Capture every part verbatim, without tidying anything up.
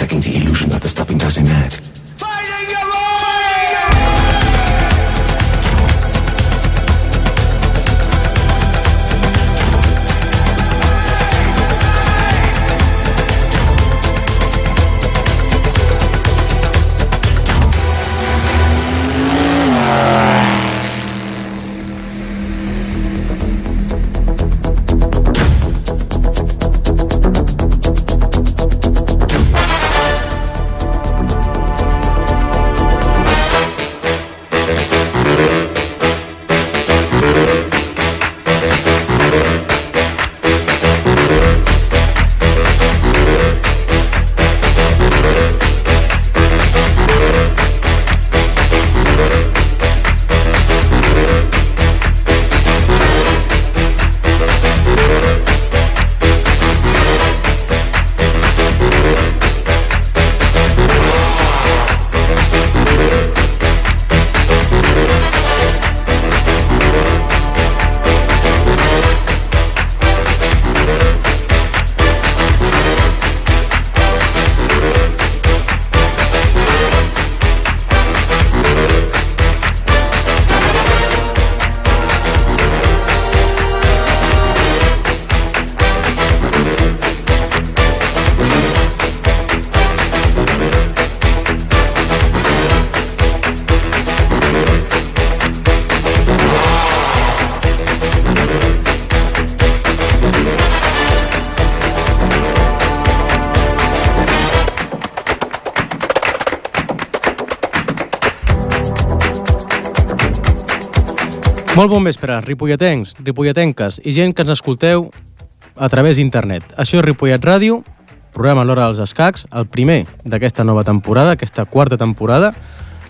faking the illusion that the stopping doesn't matter. Molt bon vespre, ripolletens, ripolletenques i gent que ens escolteu a través d'internet. Això és Ripollet Ràdio, programa a l'hora dels escacs, el primer d'aquesta nova temporada, aquesta quarta temporada.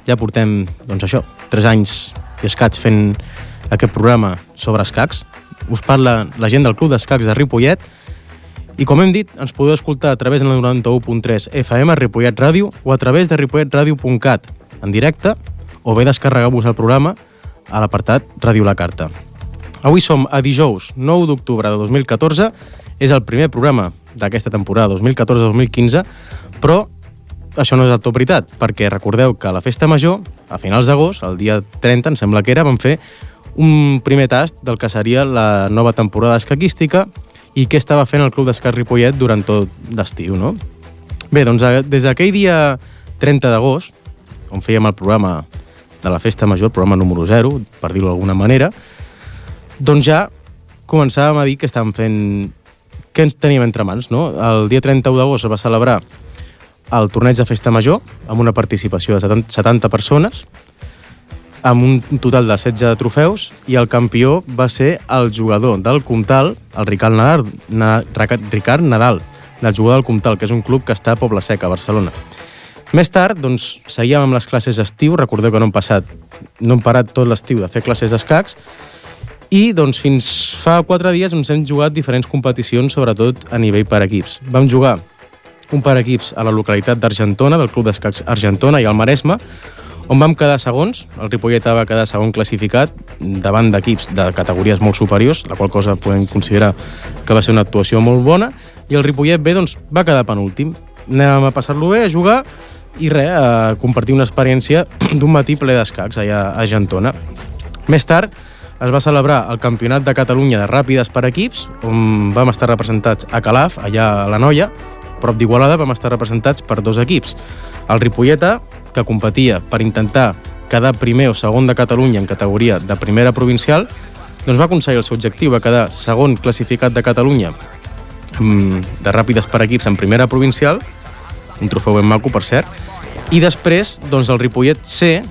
Ja portem, doncs això, tres anys i escacs fent aquest programa sobre escacs. Us parla la gent del Club d'Escacs de Ripollet i, com hem dit, ens podeu escoltar a través de la noranta-u punt tres F M, Ripollet Ràdio, o a través de ripollet radio punt cat en directe, o bé descarregar-vos el programa a l'apartat Ràdio La Carta. Avui som a dijous nou d'octubre de dos mil catorze, és el primer programa d'aquesta temporada dos mil catorze dos mil quinze, però això no és del tot veritat, perquè recordeu que a la Festa Major, a finals d'agost, el dia trenta, em sembla que era, vam fer un primer tast del que seria la nova temporada escaquística i què estava fent el Club d'Escacs Ripollet durant tot l'estiu, no? Bé, doncs des d'aquell dia trenta d'agost, on fèiem el programa de la Festa Major, el programa número zero, per dir-ho d'alguna manera, doncs ja començàvem a dir que estàvem fent... què ens teníem entre mans, no? El dia trenta-u d'agost es va celebrar el torneig de Festa Major, amb una participació de setanta persones, amb un total de setze trofeus, i el campió va ser el jugador del Comtal, el Ricard Nadal, Na, Ricard Nadal, del jugador del Comtal, que és un club que està a Poble Sec, a Barcelona. Més tard, doncs, seguíem amb les classes d'estiu. Recordeu que no hem passat, no hem parat tot l'estiu de fer classes d'escacs, i doncs fins fa quatre dies ens hem jugat diferents competicions, sobretot a nivell per equips. Vam jugar un per equips a la localitat d'Argentona, del Club d'Escacs Argentona i al Maresme, on vam quedar segons. El Ripollet va quedar segon classificat davant d'equips de categories molt superiors, la qual cosa podem considerar que va ser una actuació molt bona, i el Ripollet B doncs, va quedar penúltim. Anàvem a passar-lo bé, a jugar, i res, a compartir una experiència d'un matí ple d'escacs allà a Argentona. Més tard es va celebrar el Campionat de Catalunya de Ràpides per equips, on vam estar representats a Calaf, allà a la Noia, prop d'Igualada, vam estar representats per dos equips. El Ripollet A, que competia per intentar quedar primer o segon de Catalunya en categoria de primera provincial, doncs va aconseguir el seu objectiu, va quedar segon classificat de Catalunya de Ràpides per equips en primera provincial, un trofeu ben maco, per cert, i després doncs, el Ripollet C,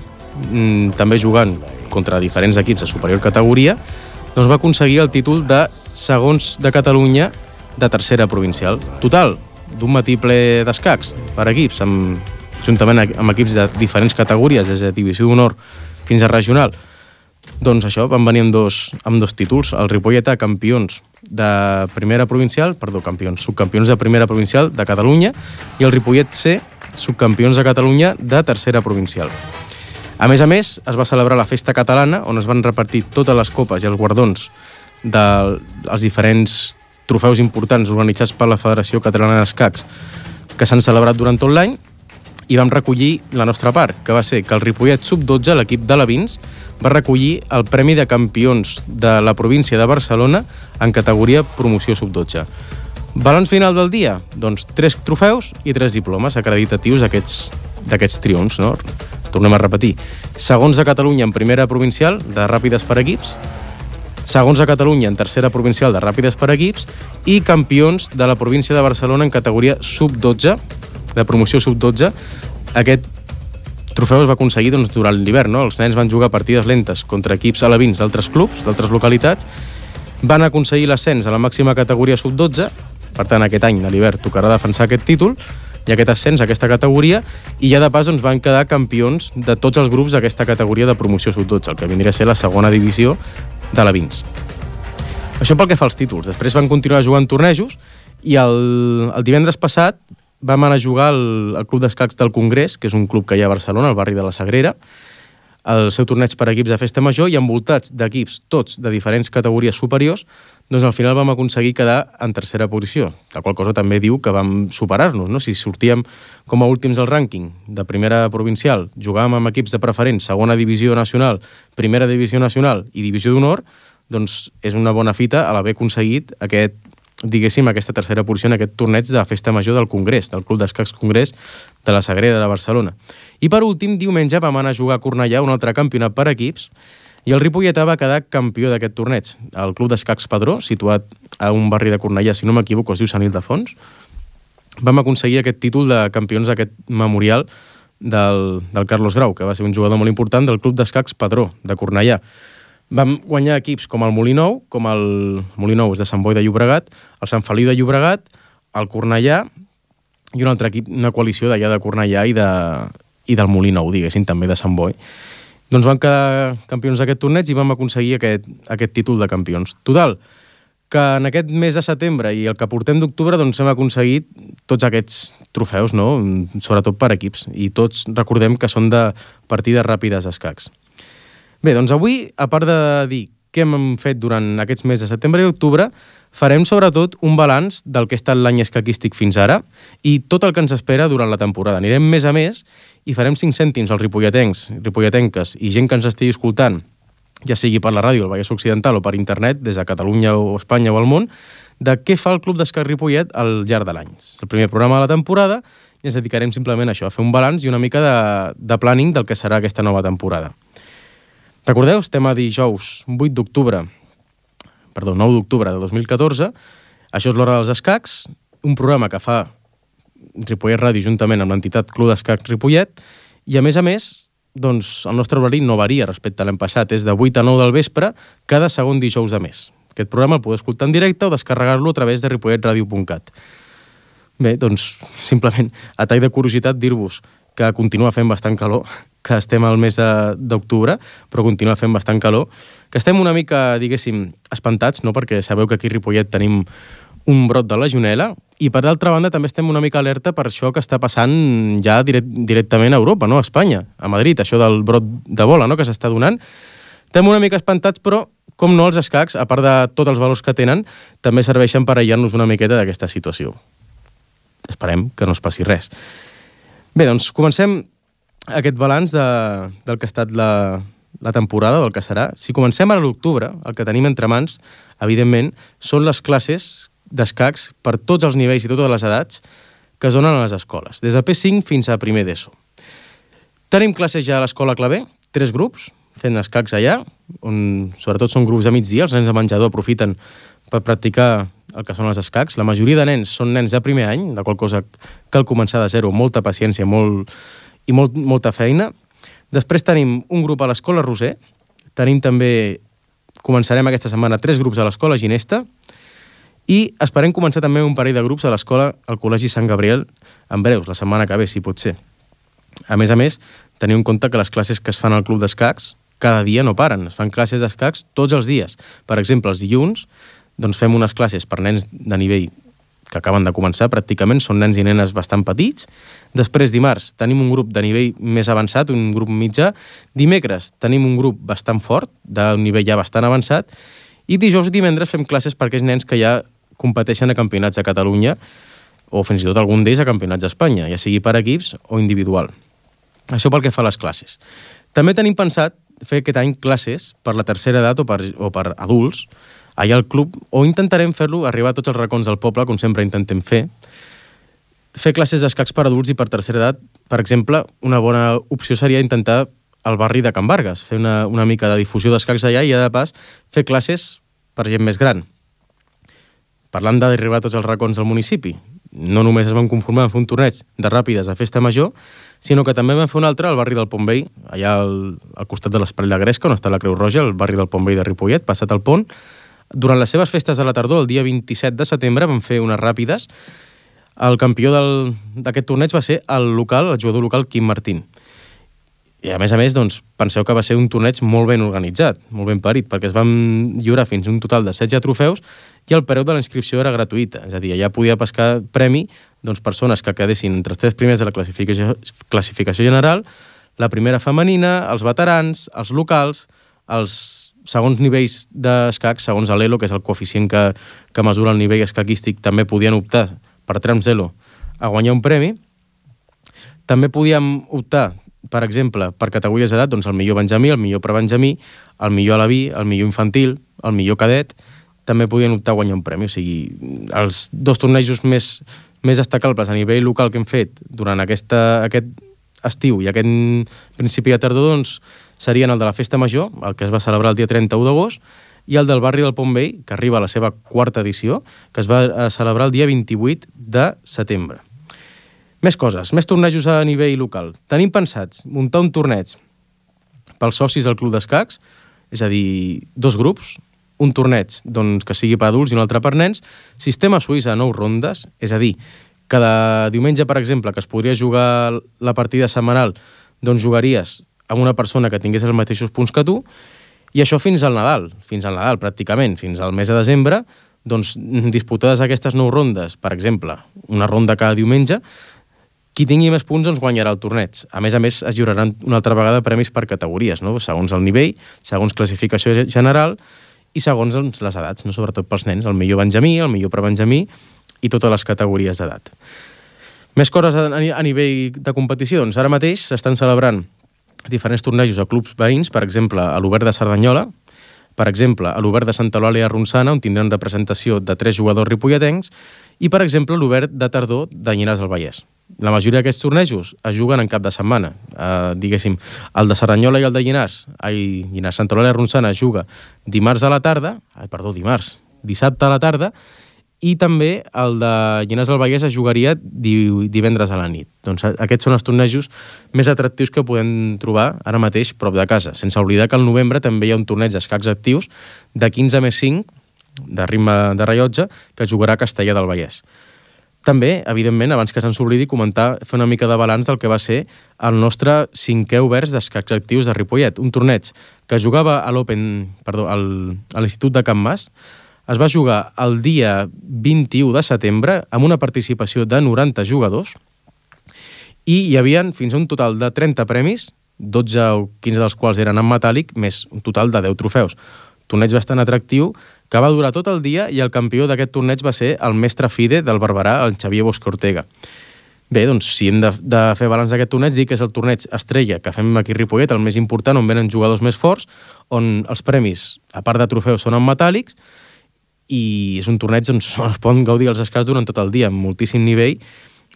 també jugant contra diferents equips de superior categoria, doncs va aconseguir el títol de segons de Catalunya de tercera provincial. Total, d'un matí ple d'escacs per equips, amb, juntament amb equips de diferents categories, des de divisió d'honor fins a regional. Doncs això, van venir amb dos, amb dos títols. El Ripollet A, campions de primera provincial, perdó, campions, subcampions de primera provincial de Catalunya, i el Ripollet C, subcampions de Catalunya de tercera provincial. A més a més, es va celebrar la Festa Catalana, on es van repartir totes les copes i els guardons dels diferents trofeus importants organitzats per la Federació Catalana d'Escacs que s'han celebrat durant tot l'any, i vam recollir la nostra part, que va ser que el Ripollet sub dotze, l'equip de l'Avins, va recollir el Premi de Campions de la província de Barcelona en categoria promoció sub dotze. Balanç final del dia? Doncs tres trofeus i tres diplomes acreditatius d'aquests d'aquests triomfs, no? Tornem a repetir. Segons de Catalunya en primera provincial de ràpides per equips, segons de Catalunya en tercera provincial de ràpides per equips i campions de la província de Barcelona en categoria sub dotze, de promoció sub dotze. Aquest trofeu es va aconseguir doncs, durant l'hivern, no? Els nens van jugar partides lentes contra equips alevins d'altres clubs, d'altres localitats, van aconseguir l'ascens a la màxima categoria sub dotze, per tant aquest any a l'hivern tocarà defensar aquest títol i aquest ascens a aquesta categoria, i ja de pas doncs, van quedar campions de tots els grups d'aquesta categoria de promoció sub dotze, el que vindria a ser la segona divisió de l'Avins. Això pel que fa als títols. Després van continuar jugant tornejos i el, el divendres passat vam anar a jugar al, al Club d'Escacs del Congrés, que és un club que hi ha a Barcelona, al barri de la Sagrera, el seu torneig per equips de festa major, i envoltats d'equips tots de diferents categories superiors, doncs al final vam aconseguir quedar en tercera posició, la qual cosa també diu que vam superar-nos, no? Si sortíem com a últims al rànquing de primera provincial, jugàvem amb equips de preferent, segona divisió nacional, primera divisió nacional i divisió d'honor, doncs és una bona fita a l'haver aconseguit aquest, diguéssim, aquesta tercera posició en aquest torneig de festa major del Congrés, del Club d'Escacs Congrés de la Sagrera de Barcelona. I per últim, diumenge vam anar a jugar a Cornellà un altre campionat per equips i el Ripolletà va quedar campió d'aquest torneig. El Club d'Escacs Padró, situat a un barri de Cornellà, si no m'equivoco, es diu Sant Ildefons, vam aconseguir aquest títol de campions d'aquest memorial del, del Carlos Grau, que va ser un jugador molt important del Club d'Escacs Padró, de Cornellà. Vam guanyar equips com el Molinou, com el Molinou és de Sant Boi de Llobregat, el Sant Feliu de Llobregat, el Cornellà i un altre equip, una coalició d'allà de Cornellà i, de, i del Molinou, diguéssim, també de Sant Boi. Doncs vam quedar campions d'aquest torneig i vam aconseguir aquest, aquest títol de campions. Total, que en aquest mes de setembre i el que portem d'octubre doncs hem aconseguit tots aquests trofeus, no? Sobretot per equips, i tots recordem que són de partides ràpides d'escacs. Bé, doncs avui, a part de dir què hem fet durant aquests mesos de setembre i octubre, farem sobretot un balanç del que ha estat l'any escaquístic fins ara i tot el que ens espera durant la temporada. Anirem més a més i farem cinc cèntims als ripolletens, ripolletenques i gent que ens estigui escoltant, ja sigui per la ràdio, el Vallès Occidental o per internet, des de Catalunya o Espanya o el món, de què fa el Club d'Escacs Ripollet al llarg de l'any. És el primer programa de la temporada i ens dedicarem simplement a això, a fer un balanç i una mica de, de planning del que serà aquesta nova temporada. Recordeu, estem a dijous vuit d'octubre, perdó, nou d'octubre de dos mil catorze, això és l'Hora dels Escacs, un programa que fa Ripollet Ràdio juntament amb l'entitat Club d'Escacs Ripollet, i a més a més, doncs, el nostre horari no varia respecte a l'any passat, és de vuit a nou del vespre, cada segon dijous de mes. Aquest programa el podeu escoltar en directe o descarregar-lo a través de ripollet ràdio punt cat. Bé, doncs, simplement, a tall de curiositat, dir-vos que continua fent bastant calor, que estem al mes d'octubre, però continua fent bastant calor, que estem una mica, diguéssim, espantats, no? Perquè sabeu que aquí a Ripollet tenim un brot de legionel·la, i per d'altra banda també estem una mica alerta per això que està passant ja direct, directament a Europa, no? A Espanya, a Madrid, això del brot d'Ebola, no? Que s'està donant. Estem una mica espantats, però, com no, els escacs, a part de tots els valors que tenen, també serveixen per aïllar-nos una miqueta d'aquesta situació. Esperem que no es passi res. Bé, doncs comencem aquest balanç de, del que ha estat la, la temporada, del que serà. Si comencem ara a l'octubre, el que tenim entre mans, evidentment, són les classes d'escacs per tots els nivells i totes les edats que es donen a les escoles, des de P cinc fins a primer d'ESO. Tenim classes ja a l'escola Clavé, tres grups, fent escacs allà, on sobretot són grups de migdia, els nens de menjador aprofiten per practicar el que són els escacs. La majoria de nens són nens de primer any, de qual cosa cal començar de zero, molta paciència molt, i molt, molta feina. Després tenim un grup a l'escola Roser, tenim també, començarem aquesta setmana, tres grups a l'escola Ginesta, i esperem començar també un parell de grups a l'escola al Col·legi Sant Gabriel en breus, la setmana que ve, si pot ser. A més a més, teniu en compte que les classes que es fan al Club d'Escacs cada dia no paren, es fan classes d'escacs tots els dies. Per exemple, els dilluns doncs fem unes classes per nens de nivell que acaben de començar, pràcticament, són nens i nenes bastant petits. Després, dimarts, tenim un grup de nivell més avançat, un grup mitjà. Dimecres tenim un grup bastant fort, d'un nivell ja bastant avançat. I dijous i divendres fem classes per aquells nens que ja competeixen a campionats de Catalunya o fins i tot algun d'ells a campionats d'Espanya, ja sigui per equips o individual. Això pel que fa a les classes. També tenim pensat fer aquest any classes per la tercera edat o per, o per adults, allà al club, o intentarem fer-lo arribar a tots els racons del poble, com sempre intentem fer. Fer classes d'escacs per adults i per tercera edat, per exemple, una bona opció seria intentar al barri de Can Vargas, fer una, una mica de difusió d'escacs allà i, de pas, fer classes per gent més gran. Parlant d'arribar a tots els racons del municipi, no només es van conformar a fer un torneig de ràpides a Festa Major, sinó que també vam fer un altre al barri del Pont Vell, allà al, al costat de l'Espai La Gresca, on està la Creu Roja, al barri del Pont Vell de Ripollet, passat el pont. Durant les seves festes de la tardor, el dia vint-i-set de setembre, van fer unes ràpides. El campió d'aquest torneig va ser el local, el jugador local Quim Martín. I a més a més, doncs, penseu que va ser un torneig molt ben organitzat, molt ben parit, perquè es van lliurar fins a un total de setze trofeus i el preu de la inscripció era gratuïta. És a dir, allà podia pescar premi doncs, persones que quedessin entre els tres primers de la classificació, classificació general, la primera femenina, els veterans, els locals, els segons nivells d'escacs, segons l'Elo, que és el coeficient que, que mesura el nivell escaquístic, també podien optar per trams Elo a guanyar un premi. També podíem optar, per exemple, per categories d'edat, doncs el millor benjamí, el millor prebenjamí, el millor alaví, el millor infantil, el millor cadet, també podien optar a guanyar un premi. O sigui, els dos tornejos més, més destacables a nivell local que hem fet durant aquesta, aquest estiu i aquest principi de tardor, doncs, serien el de la Festa Major, el que es va celebrar el dia trenta-u d'agost, i el del barri del Pont Vell, que arriba a la seva quarta edició, que es va celebrar el dia vint-i-vuit de setembre. Més coses, més tornejos a nivell local. Tenim pensats muntar un torneig pels socis del Club d'Escacs, és a dir, dos grups, un torneig doncs, que sigui per adults i un altre per nens, sistema suís a nou rondes, és a dir, cada diumenge, per exemple, que es podria jugar la partida setmanal, doncs jugaries amb una persona que tingués els mateixos punts que tu, i això fins al Nadal, fins al Nadal pràcticament, fins al mes de desembre, doncs disputades aquestes nou rondes, per exemple, una ronda cada diumenge, qui tingui més punts doncs guanyarà el torneig. A més a més, es lliuraran una altra vegada premis per categories, no? Segons el nivell, segons classificació general i segons doncs, les edats, no? Sobretot pels nens, el millor benjamí, el millor prebenjamí i totes les categories d'edat. Més coses a, a nivell de competició, doncs ara mateix s'estan celebrant diferents tornejos a clubs veïns, per exemple, a l'Obert de Cerdanyola, per exemple, a l'Obert de Santa Eulàlia Ronçana, on tindran representació de tres jugadors ripolletencs, i, per exemple, a l'Obert de Tardor de Llinars del Vallès. La majoria d'aquests tornejos es juguen en cap de setmana. Eh, diguéssim, el de Cerdanyola i el de Llinars, ai, Llinars, Santa Eulàlia Ronçana es juga dimarts a la tarda, ai, perdó, dimarts, dissabte a la tarda, i també el de Llinars del Vallès es jugaria divendres a la nit. Doncs aquests són els tornejos més atractius que podem trobar ara mateix prop de casa, sense oblidar que al novembre també hi ha un torneig d'escacs actius de quinze més cinc, de ritme de rellotge, que es jugarà a Castellar del Vallès. També, evidentment, abans que se'ns oblidi, comentar, fer una mica de balanç del que va ser el nostre cinquè Oberts d'escacs actius de Ripollet, un torneig que jugava a l'Open, perdó, al, a l'Institut de Can Mas. Es va jugar el dia vint-i-u de setembre amb una participació de noranta jugadors i hi havia fins a un total de trenta premis, dotze o quinze dels quals eren en metàl·lic, més un total de deu trofeus. Torneig bastant atractiu que va durar tot el dia i el campió d'aquest torneig va ser el mestre FIDE del Barberà, el Xavier Bosque Ortega. Bé, doncs, si hem de, de fer balanç d'aquest torneig, dic que és el torneig estrella que fem aquí a Ripollet, el més important, on venen jugadors més forts, on els premis, a part de trofeus, són en metàl·lics, i és un torneig on es poden gaudir els escacs durant tot el dia, amb moltíssim nivell,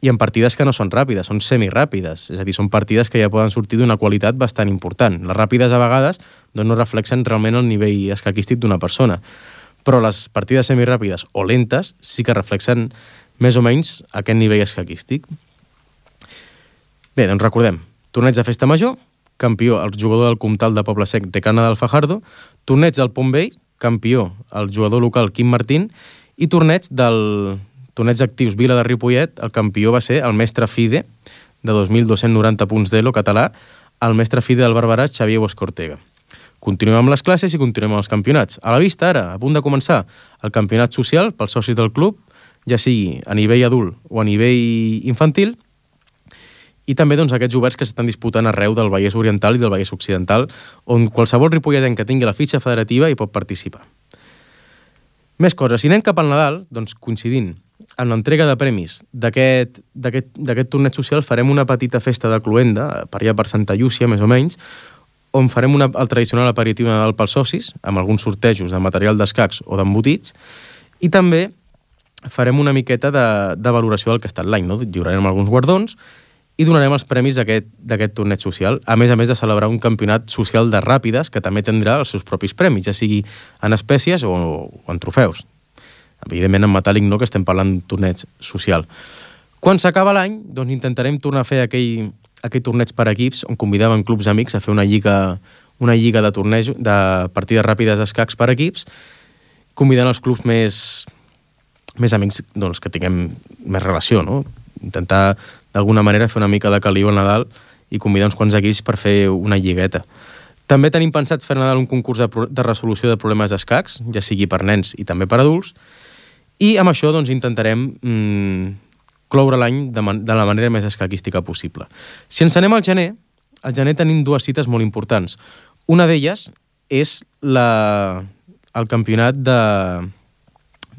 i en partides que no són ràpides, són semiràpides, és a dir, són partides que ja poden sortir d'una qualitat bastant important. Les ràpides, a vegades, doncs no reflexen realment el nivell escaquístic d'una persona, però les partides semiràpides o lentes sí que reflexen més o menys aquest nivell escaquístic. Bé, doncs recordem, torneig de Festa Major, campió el jugador del Comtal de Poble Sec de Cana del Fajardo, torneig del Pont Vell, campió el jugador local Quim Martín, i torneig del torneig d'actius Vila de Ripollet, el campió va ser el mestre FIDE, de dos mil dos-cents noranta punts d'Elo català, el mestre FIDE del Barberà, Xavier Bosque Ortega. Continuem amb les classes i continuem amb els campionats. A la vista, ara, a punt de començar, el campionat social pels socis del club, ja sigui a nivell adult o a nivell infantil, i també doncs, aquests oberts que s'estan disputant arreu del Vallès Oriental i del Vallès Occidental, on qualsevol ripolletenc que tingui la fitxa federativa hi pot participar. Més coses. Si anem cap al Nadal, doncs coincidint en l'entrega de premis d'aquest d'aquest torneig social farem una petita festa de cloenda, per allà per Santa Llúcia, més o menys, on farem una, el tradicional aperitiu Nadal pels socis, amb alguns sortejos de material d'escacs o d'embotits, i també farem una miqueta de, de valoració del que ha estat l'any, no? Lliurarem alguns guardons i donarem els premis d'aquest torneig social, a més a més de celebrar un campionat social de ràpides que també tindrà els seus propis premis, ja sigui en espècies o, o en trofeus. Evidentment en metàl·lic no, que estem parlant d'un torneig social. Quan s'acaba l'any, doncs intentarem tornar a fer aquell, aquell torneig per equips on convidaven clubs amics a fer una lliga, una lliga de torneig, de partides ràpides d'escacs per equips, convidant els clubs més, més amics doncs, que tinguem més relació, no? Intentar d'alguna manera fer una mica de caliu al Nadal i convidar uns quants equips per fer una lligueta. També tenim pensat fer a Nadal un concurs de, de resolució de problemes d'escacs, ja sigui per nens i també per adults, i amb això doncs, intentarem mmm, cloure l'any de, man de la manera més escaquística possible. Si ens anem al gener, al gener tenim dues cites molt importants. Una d'elles és la, el campionat de,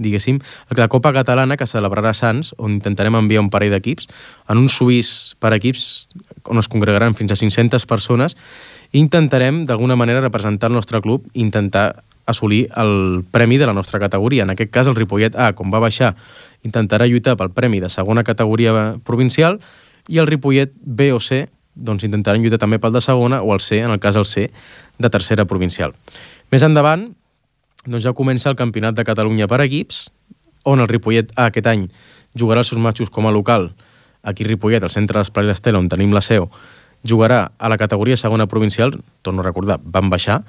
diguéssim, la Copa Catalana que celebrarà a Sants, on intentarem enviar un parell d'equips, en un suís per equips on es congregaran fins a cinc-centes persones, i intentarem d'alguna manera representar el nostre club i intentar assolir el premi de la nostra categoria. En aquest cas, el Ripollet A, com va baixar, intentarà lluitar pel premi de segona categoria provincial, i el Ripollet B o C doncs intentaran lluitar també pel de segona, o el C, en el cas el C, de tercera provincial. Més endavant, doncs ja comença el Campionat de Catalunya per equips, on el Ripollet A aquest any jugarà els seus matxos com a local, aquí a Ripollet, al centre d'Esplai l'Estela, on tenim la seu, jugarà a la categoria segona provincial, torno a recordar, van baixar,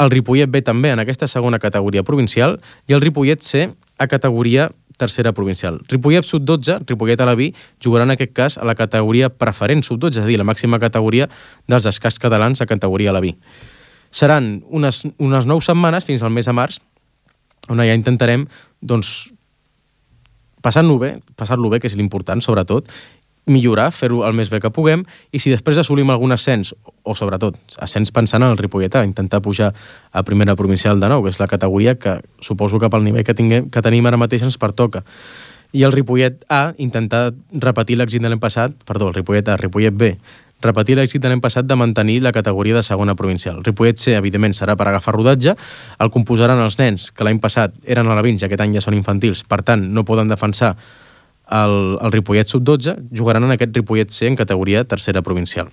el Ripollet B també en aquesta segona categoria provincial i el Ripollet C a categoria tercera provincial. Ripollet sub dotze, Ripollet a la B, jugarà en aquest cas a la categoria preferent sub dotze, és a dir, la màxima categoria dels escacs catalans a categoria a la B. Seran unes, unes nou setmanes fins al mes de març, on ja intentarem doncs, passar-lo bé, passar-lo bé, que és l'important, sobretot, millorar, fer-ho el més bé que puguem, i si després assolim algun ascens, o sobretot ascens pensant en el Ripollet A, intentar pujar a primera provincial de nou, que és la categoria que suposo que pel nivell que, tinguem, que tenim ara mateix ens pertoca. I el Ripollet A, intentar repetir l'èxit de l'any passat, perdó, el Ripollet A, Ripollet B, repetir l'èxit de l'any passat de mantenir la categoria de segona provincial. El Ripollet C, evidentment, serà per agafar rodatge, el composaran els nens, que l'any passat eren alevins i aquest any ja són infantils, per tant, no poden defensar el, el Ripollet sub dotze, jugaran en aquest Ripollet C en categoria tercera provincial.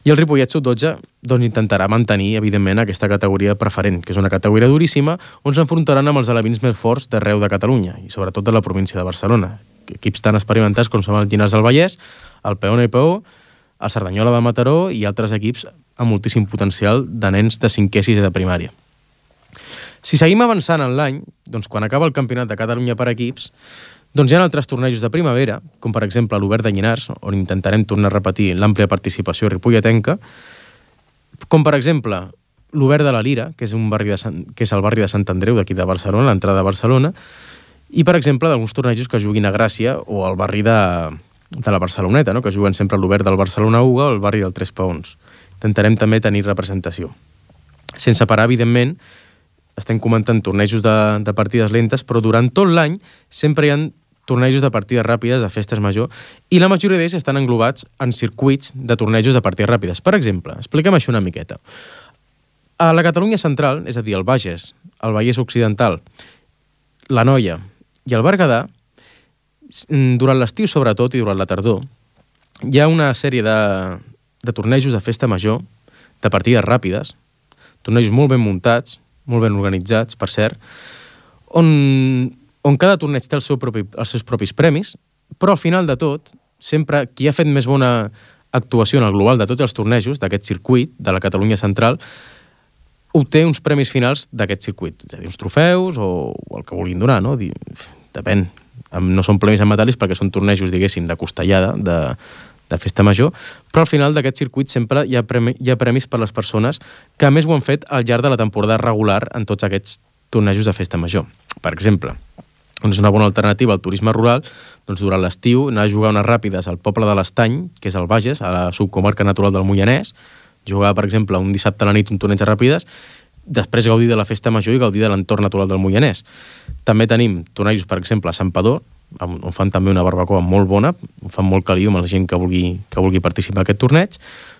I el Ripollet sub dotze doncs, intentarà mantenir, evidentment, aquesta categoria preferent, que és una categoria duríssima, on s'enfrontaran amb els alevins més forts d'arreu de Catalunya, i sobretot de la província de Barcelona. Equips tan experimentats com són el Llinars del Vallès, el Peona i Peó, el Cerdanyola de Mataró i altres equips amb moltíssim potencial de nens de cinquè i sisè de primària. Si seguim avançant en l'any, doncs quan acaba el Campionat de Catalunya per equips, doncs hi ha altres tornejos de primavera, com per exemple l'Obert de Llinars, on intentarem tornar a repetir l'àmplia participació ripolletenca, com per exemple l'Obert de la Lira, que és, un barri de Sant, que és el barri de Sant Andreu d'aquí de Barcelona, l'entrada de Barcelona, i per exemple d'alguns tornejos que juguin a Gràcia o al barri de, de la Barceloneta, no? Que juguen sempre a l'Obert del Barcelona Uga o al barri del Tres Paons. Intentarem també tenir representació. Sense parar, evidentment, estem comentant tornejos de, de partides lentes, però durant tot l'any sempre hi ha tornejos de partides ràpides, de festes major, i la majoria d'ells estan englobats en circuits de tornejos de partides ràpides. Per exemple, expliquem això una miqueta. A la Catalunya central, és a dir, el Bages, el Vallès Occidental, l'Anoia i el Berguedà, durant l'estiu sobretot i durant la tardor, hi ha una sèrie de, de tornejos de festa major, de partides ràpides, tornejos molt ben muntats, molt ben organitzats, per cert, on, on cada torneig té el seu propi, els seus propis premis, però al final de tot, sempre qui ha fet més bona actuació en el global de tots els tornejos d'aquest circuit, de la Catalunya central, obté uns premis finals d'aquest circuit, és a dir, uns trofeus o, o el que vulguin donar, no? Depèn. No són premis en metàl·lics perquè són tornejos, diguéssim, de costellada, de, de festa major, però al final d'aquest circuit sempre hi ha, premi, hi ha premis per les persones que més ho han fet al llarg de la temporada regular en tots aquests tornejos de festa major. Per exemple, doncs una bona alternativa al turisme rural, doncs durant l'estiu anar a jugar unes ràpides al poble de l'Estany, que és el Bages, a la subcomarca natural del Moianès, jugar, per exemple, un dissabte a la nit un torneig de ràpides, després gaudir de la festa major i gaudir de l'entorn natural del Moianès. També tenim tornejos, per exemple, a Santpedor, on fan també una barbacoa molt bona, ho fan molt caliu amb la gent que vulgui, que vulgui participar en aquest torneig.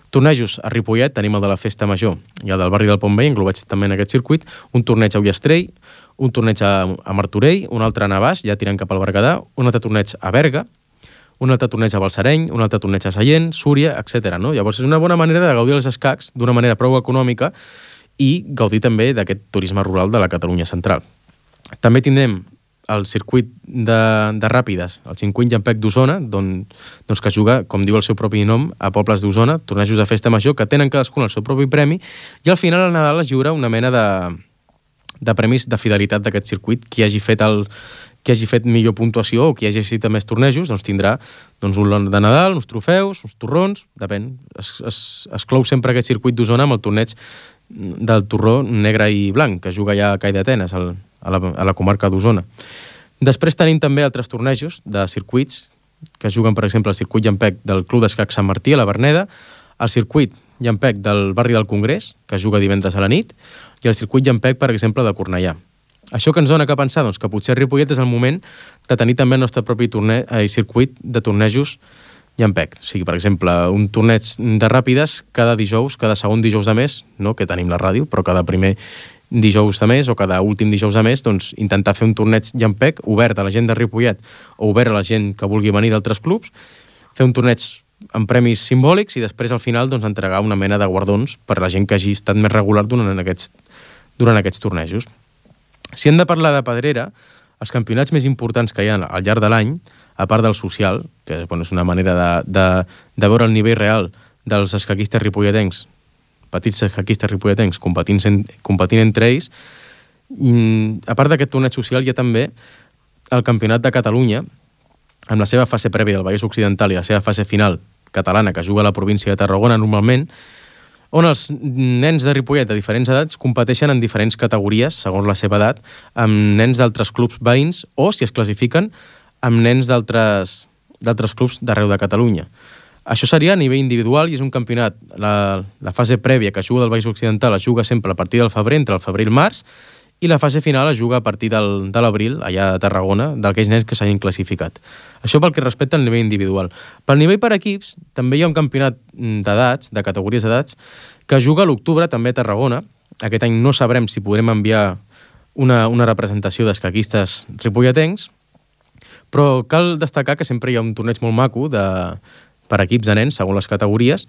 Tornejos a Ripollet, tenim el de la Festa Major i el del barri del Pont Vell, englobats també en aquest circuit, un torneig a Ullastrell, un torneig a, a Martorell, un altre a Navàs, ja tirant cap al Berguedà, un altre torneig a Berga, un altre torneig a Balsareny, un altre torneig a Sallent, Súria, etcètera. No? Llavors és una bona manera de gaudir els escacs d'una manera prou econòmica i gaudir també d'aquest turisme rural de la Catalunya central. També tindrem el circuit de, de ràpides, el cinquanta Llampec d'Osona, don, doncs que juga, com diu el seu propi nom, a pobles d'Osona, tornejos de festa major, que tenen cadascun el seu propi premi, i al final al Nadal es lliura una mena de, de premis de fidelitat d'aquest circuit. Qui hagi fet el qui hagi fet millor puntuació o qui hagi assistit a més tornejos, doncs tindrà doncs, un lot de Nadal, uns trofeus, uns torrons, depèn. Es, es, es clou sempre aquest circuit d'Osona amb el torneig del torró negre i blanc, que juga ja a Call d'Atenes, a la, a la comarca d'Osona. Després tenim també altres tornejos de circuits, que juguen, per exemple, el circuit Llampec del Club d'Escac Sant Martí, a la Verneda, el circuit Llampec del barri del Congrés, que juga divendres a la nit, i el circuit Llampec, per exemple, de Cornellà. Això que ens dona que pensar, doncs, que potser Ripollet és el moment de tenir també el nostre propi torne... eh, circuit de tornejos Llampec. O sigui, per exemple, un torneig de ràpides cada dijous, cada segon dijous de mes, no que tenim la ràdio, però cada primer dijous de mes o cada últim dijous de mes, doncs intentar fer un torneig Llampec obert a la gent de Ripollet o obert a la gent que vulgui venir d'altres clubs, fer un torneig amb premis simbòlics i després al final doncs, entregar una mena de guardons per a la gent que hagi estat més regular durant aquests, durant aquests tornejos. Si hem de parlar de pedrera, els campionats més importants que hi ha al llarg de l'any, a part del social, que bueno, és una manera de, de, de veure el nivell real dels escaquistes ripolletencs, petits escaquistes ripolletencs, competint, competint entre ells, i a part d'aquest torneig social hi ha també el Campionat de Catalunya, amb la seva fase prèvia del Vallès Occidental i la seva fase final catalana, que juga a la província de Tarragona normalment, on els nens de Ripollet de diferents edats competeixen en diferents categories, segons la seva edat, amb nens d'altres clubs veïns o, si es classifiquen, amb nens d'altres d'altres clubs d'arreu de Catalunya. Això seria a nivell individual i és un campionat. La, la fase prèvia que juga del Vallès Occidental es juga sempre a partir del febrer, entre el febrer i el març, i la fase final es juga a partir del, de l'abril, allà a Tarragona, d'aquells nens que s'hagin classificat. Això pel que respecta al nivell individual. Pel nivell per equips, també hi ha un campionat d'edats, de categories d'edats, que juga a l'octubre, també a Tarragona. Aquest any no sabrem si podrem enviar una, una representació d'escaquistes ripolletencs, però cal destacar que sempre hi ha un torneig molt maco de, per equips de nens, segons les categories,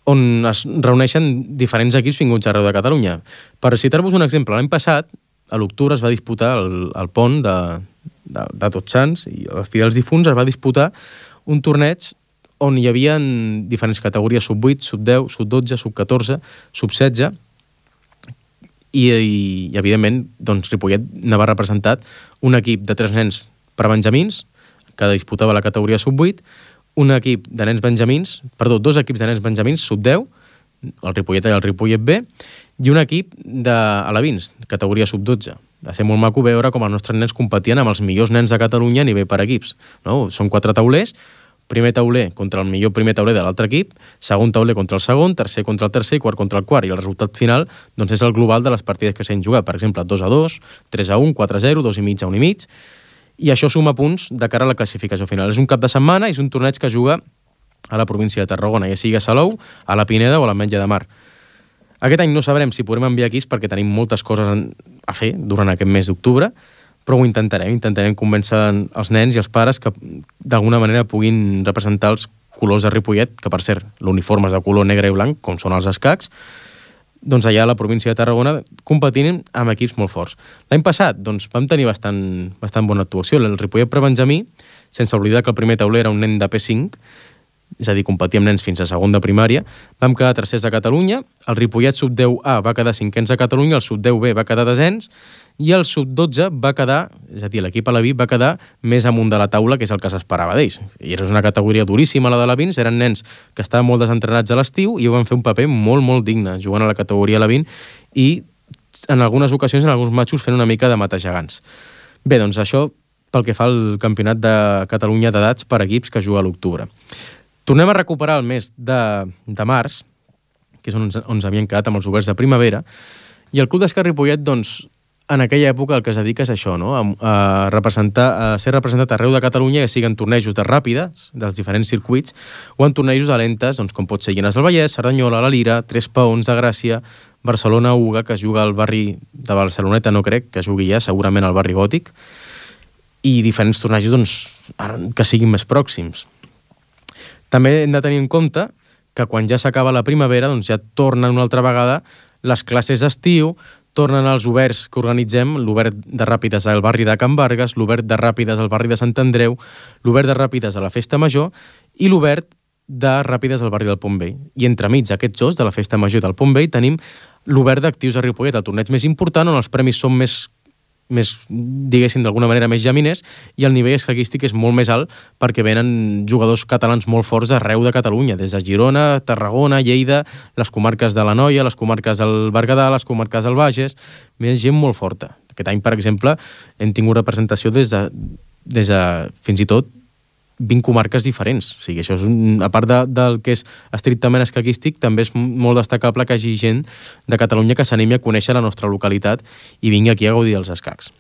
on es reuneixen diferents equips vinguts arreu de Catalunya. Per citar-vos un exemple, l'any passat, a l'octubre es va disputar el, el pont de, de, de Tots Sants i els Fidels Difunts, es va disputar un torneig on hi havia diferents categories, sub vuit, sub deu, sub dotze, sub catorze, sub setze, i, i, i evidentment, doncs, Ripollet n'ava representat un equip de tres nens prebenjamins, que disputava la categoria sub vuit, un equip de nens benjamins, perdó, dos equips de nens benjamins, sub deu, el Ripollet A i el Ripollet B, i un equip d'alevins, categoria sub dotze. Va ser molt maco veure com els nostres nens competien amb els millors nens de Catalunya a nivell per equips. No? Són quatre taulers, primer tauler contra el millor primer tauler de l'altre equip, segon tauler contra el segon, tercer contra el tercer i quart contra el quart. I el resultat final doncs, és el global de les partides que s'han jugat. Per exemple, dos a dos, tres a un, quatre a zero, dos i mig a un i mig, i això suma punts de cara a la classificació final. És un cap de setmana i és un torneig que juga a la província de Tarragona, ja sigui a Salou, a la Pineda o a l'Ametlla de Mar. Aquest any no sabrem si podrem enviar equips perquè tenim moltes coses a fer durant aquest mes d'octubre, però ho intentarem, intentarem convèncer els nens i els pares que d'alguna manera puguin representar els colors de Ripollet, que per cert, l'uniforme és de color negre i blanc, com són els escacs, doncs allà a la província de Tarragona competint amb equips molt forts. L'any passat doncs, vam tenir bastant, bastant bona actuació. El Ripollet Prebenjamí, sense oblidar que el primer tauler era un nen de P cinc, és a dir, competir amb nens fins a segon de primària, vam quedar tercers de Catalunya, el Ripollet sub deu A va quedar cinquens de Catalunya, el sub deu B va quedar desens, i el sub dotze va quedar, és a dir, l'equip aleví va quedar més amunt de la taula, que és el que s'esperava d'ells. I era una categoria duríssima, la de alevins, eren nens que estaven molt desentrenats a l'estiu i van fer un paper molt, molt digne, jugant a la categoria alevin i en algunes ocasions, en alguns matxos, fent una mica de matar-gegants. Bé, doncs això pel que fa al Campionat de Catalunya d'edats per equips que juga a l'octubre. Tornem a recuperar el mes de, de març, que és on, on ens havien quedat amb els oberts de primavera, i el Club d'Escac Ripollet, doncs, en aquella època el que es dedica és això, no? a, a, representar, a ser representat arreu de Catalunya, ja siguin tornejos de ràpides, dels diferents circuits, o en tornejos de lentes, doncs, com pot ser Llinars del Vallès, Cerdanyola, la Lira, Tres Paons de Gràcia, Barcelona Uga, que es juga al barri de Barceloneta, no crec que jugui ja, segurament al barri Gòtic, i diferents tornejos doncs, que siguin més pròxims. També hem de tenir en compte que quan ja s'acaba la primavera, doncs ja tornen una altra vegada les classes d'estiu, tornen els oberts que organitzem, l'obert de ràpides al barri de Can Vargas, l'obert de ràpides al barri de Sant Andreu, l'obert de ràpides a la Festa Major i l'obert de ràpides al barri del Pont Vell. I entremig aquests dos, de la Festa Major i del Pont Vell, tenim l'obert d'actius a Ripollet, el torneig més important, on els premis són més, més diguéssim, d'alguna manera més llaminers, i el nivell escaquístic és molt més alt perquè venen jugadors catalans molt forts d'arreu de Catalunya, des de Girona, Tarragona, Lleida, les comarques de l'Anoia, les comarques del Berguedà, les comarques del Bages, més gent molt forta. Aquest any, per exemple, hem tingut representació des de, des de fins i tot vint comarques diferents. O sigui, això és un, a part de, del que és estrictament escaquístic, també és molt destacable que hi hagi gent de Catalunya que s'animi a conèixer la nostra localitat i vingui aquí a gaudir dels escacs.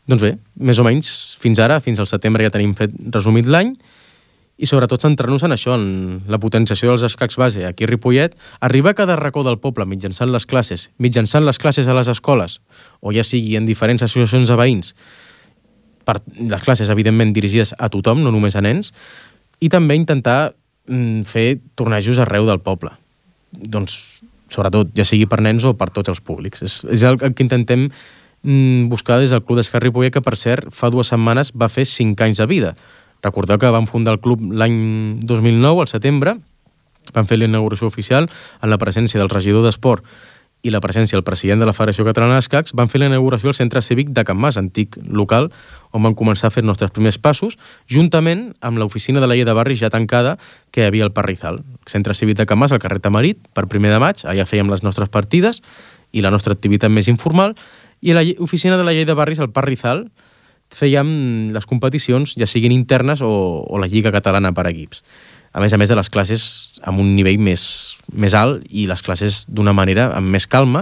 Doncs bé, més o menys, fins ara, fins al setembre ja tenim fet resumit l'any, i sobretot centrar-nos en això, en la potenciació dels escacs base aquí a Ripollet, arribar a cada racó del poble mitjançant les classes, mitjançant les classes a les escoles, o ja sigui en diferents associacions de veïns, per les classes, evidentment, dirigides a tothom, no només a nens, i també intentar mm, fer tornejos arreu del poble. Doncs, sobretot, ja sigui per nens o per tots els públics. És, és el que intentem mm, buscar des del Club d'Escacs Ripollet, que, per cert, fa dues setmanes va fer cinc anys de vida. Recordeu que vam fundar el club l'any dos mil nou, al setembre, vam fer la inauguració oficial en la presència del regidor d'Esport i la presència del president de la Federació Catalana d'Escacs, van fer la inauguració al Centre Cívic de Can Mas, antic local, on van començar a fer els nostres primers passos, juntament amb l'oficina de la llei de barris ja tancada que hi havia al Parrizal. El Centre Cívic de Can Mas, al carrer Tamarit, per primer de maig, allà fèiem les nostres partides i la nostra activitat més informal, i a l'oficina de la llei de barris al Parrizal fèiem les competicions, ja siguin internes o, o la Lliga Catalana per equips. A més a més de les classes amb un nivell més, més alt i les classes d'una manera amb més calma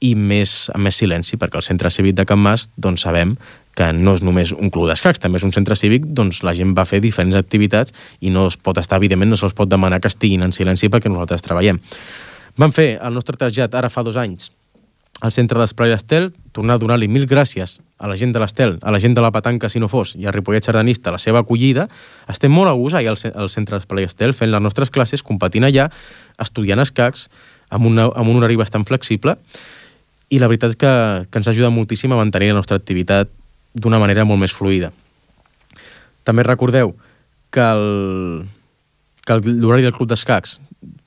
i més, amb més silenci, perquè el Centre Cívic de Can Mas doncs, sabem que no és només un club d'escacs, també és un centre cívic, doncs la gent va fer diferents activitats i no es pot estar, evidentment, no se'ls pot demanar que estiguin en silenci perquè nosaltres treballem. Vam fer el nostre trasllat ara fa dos anys al centre d'Esplai d'Estel, tornar a donar-li mil gràcies a la gent de l'Estel, a la gent de la Petanca, si no fos, i a Ripollet Sardanista, la seva acollida. Estem molt a gust allà al centre d'Esplai d'Estel, fent les nostres classes, competint allà, estudiant escacs, amb, una, amb un horari bastant flexible, i la veritat és que, que ens ajuda moltíssim a mantenir la nostra activitat d'una manera molt més fluida. També recordeu que el, que l'horari del Club d'Escacs,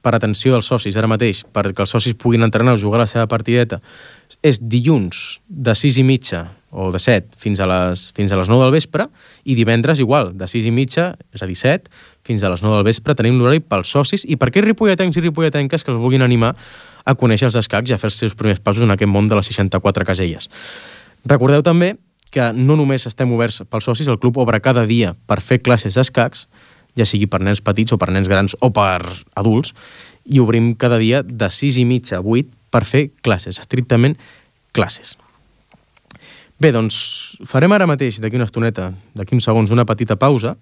per atenció dels socis ara mateix, perquè els socis puguin entrenar o jugar la seva partideta, és dilluns de sis i mitja o de set fins a les, fins a les nou del vespre, i divendres igual, de sis i mitja, és a dir, set, fins a les nou del vespre tenim l'horari pels socis i per aquells ripolletencs i ripolletenques que els vulguin animar a conèixer els escacs i a fer els seus primers passos en aquest món de les seixanta-quatre caselles. Recordeu també que no només estem oberts pels socis, el club obre cada dia per fer classes d'escacs, ja sigui per nens petits o per nens grans o per adults, i obrim cada dia de sis i mitja a vuit per fer classes, estrictament classes. Bé, doncs farem ara mateix, d'aquí una estoneta, d'aquí uns segons, una petita pausa,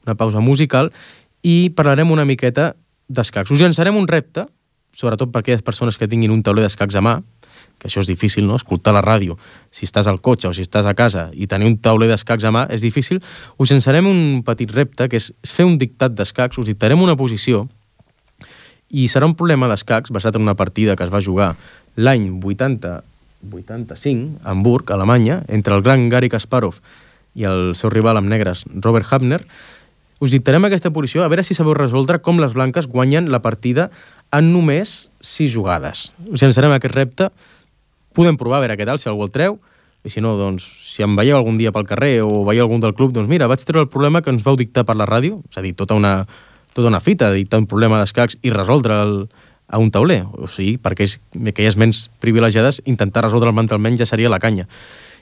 una pausa musical, i parlarem una miqueta d'escacs. Us llançarem un repte, sobretot per aquelles persones que tinguin un tauler d'escacs a mà, que això és difícil, no?, escoltar la ràdio, si estàs al cotxe o si estàs a casa i tenir un tauler d'escacs a mà és difícil. Us llançarem un petit repte, que és fer un dictat d'escacs, us dictarem una posició, i serà un problema d'escacs basat en una partida que es va jugar l'any vuitanta vuitanta-cinc, a Hamburg, Alemanya, entre el gran Garry Kasparov i el seu rival amb negres, Robert Hafner. Us dictarem aquesta posició, a veure si sabeu resoldre com les blanques guanyen la partida en només sis jugades. Us llançarem aquest repte. Podem provar a veure què tal, si algú el treu, i si no, doncs, si em veieu algun dia pel carrer o veieu algun del club, doncs mira, vaig treure el problema que ens vau dictar per la ràdio, és a dir, tota una, tota una fita, dictar un problema d'escacs i resoldre'l a un tauler. O sigui, perquè aquelles ments privilegiades, intentar resoldre'l mentalment ja seria la canya.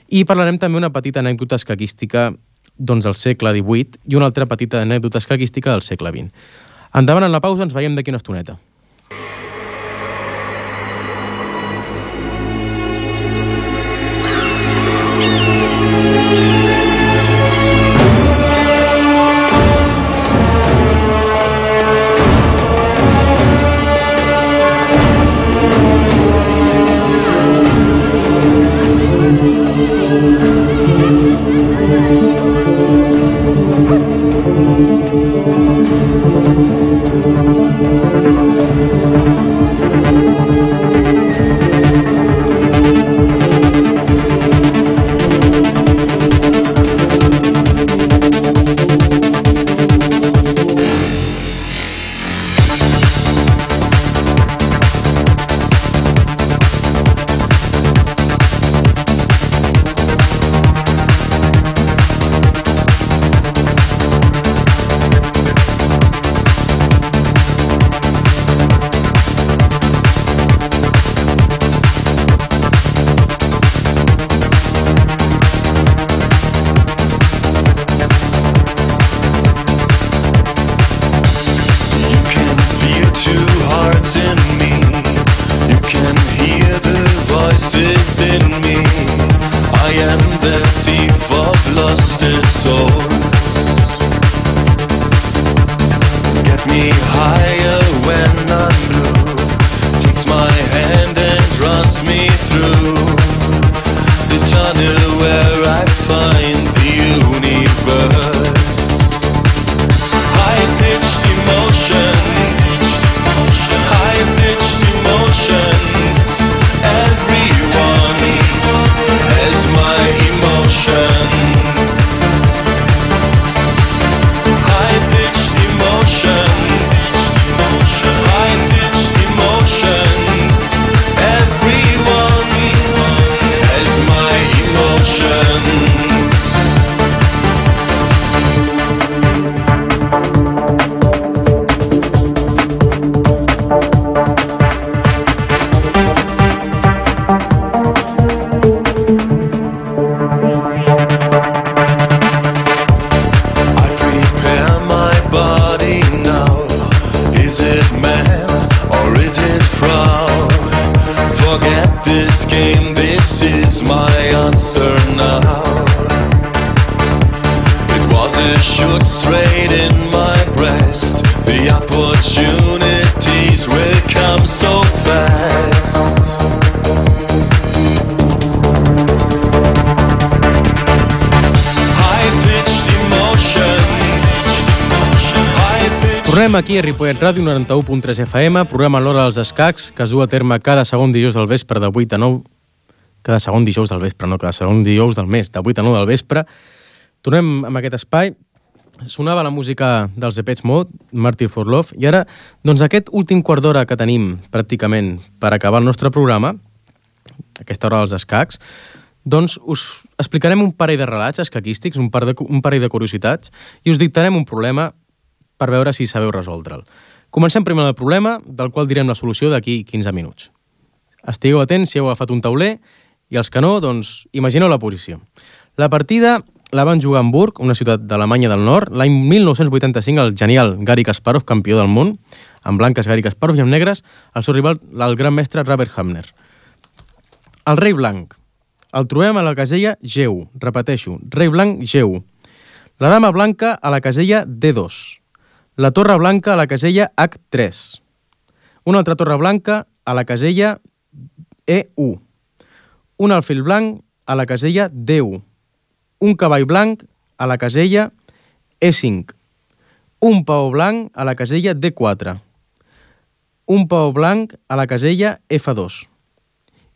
I parlarem també una petita anècdota escaquística doncs, del segle divuit i una altra petita anècdota escaquística del segle vint. Endavant en la pausa, ens veiem d'aquí una estoneta. it shook straight in my breast. The opportunities will come so fast. High-pitched emotions. High-pitched... Tornem aquí a Ripollet Ràdio noranta-u punt tres F M, programa L'Hora dels Escacs, que es du a terme cada segon dijous del vespre de vuit a nou. Cada segon dijous del vespre, no, cada segon dijous del mes, de vuit a nou del vespre. Tornem amb aquest espai. Sonava la música dels Depeche Mode, Martyr for Love, i ara, doncs aquest últim quart d'hora que tenim, pràcticament, per acabar el nostre programa, aquesta hora dels escacs, doncs us explicarem un parell de relats escaquístics, un, par de, un parell de curiositats, i us dictarem un problema per veure si sabeu resoldre'l. Comencem primer amb el problema, del qual direm la solució d'aquí quinze minuts. Estigueu atents si heu agafat un tauler, i els que no, doncs, imagineu la posició. La partida la van jugar a Hamburg, una ciutat d'Alemanya del Nord, l'any mil nou-cents vuitanta-cinc el genial Garry Kasparov, campió del món, en blanques Garry Kasparov i en negres el seu rival, el gran mestre Robert Hamner. El rei blanc. El trobem a la casella G u. Repeteixo, rei blanc G u. La dama blanca a la casella D dos. La torre blanca a la casella H tres. Una altra torre blanca a la casella E u. Un alfil blanc a la casella D u. Un cavall blanc a la casella E cinc. Un paó blanc a la casella D quatre. Un paó blanc a la casella F dos.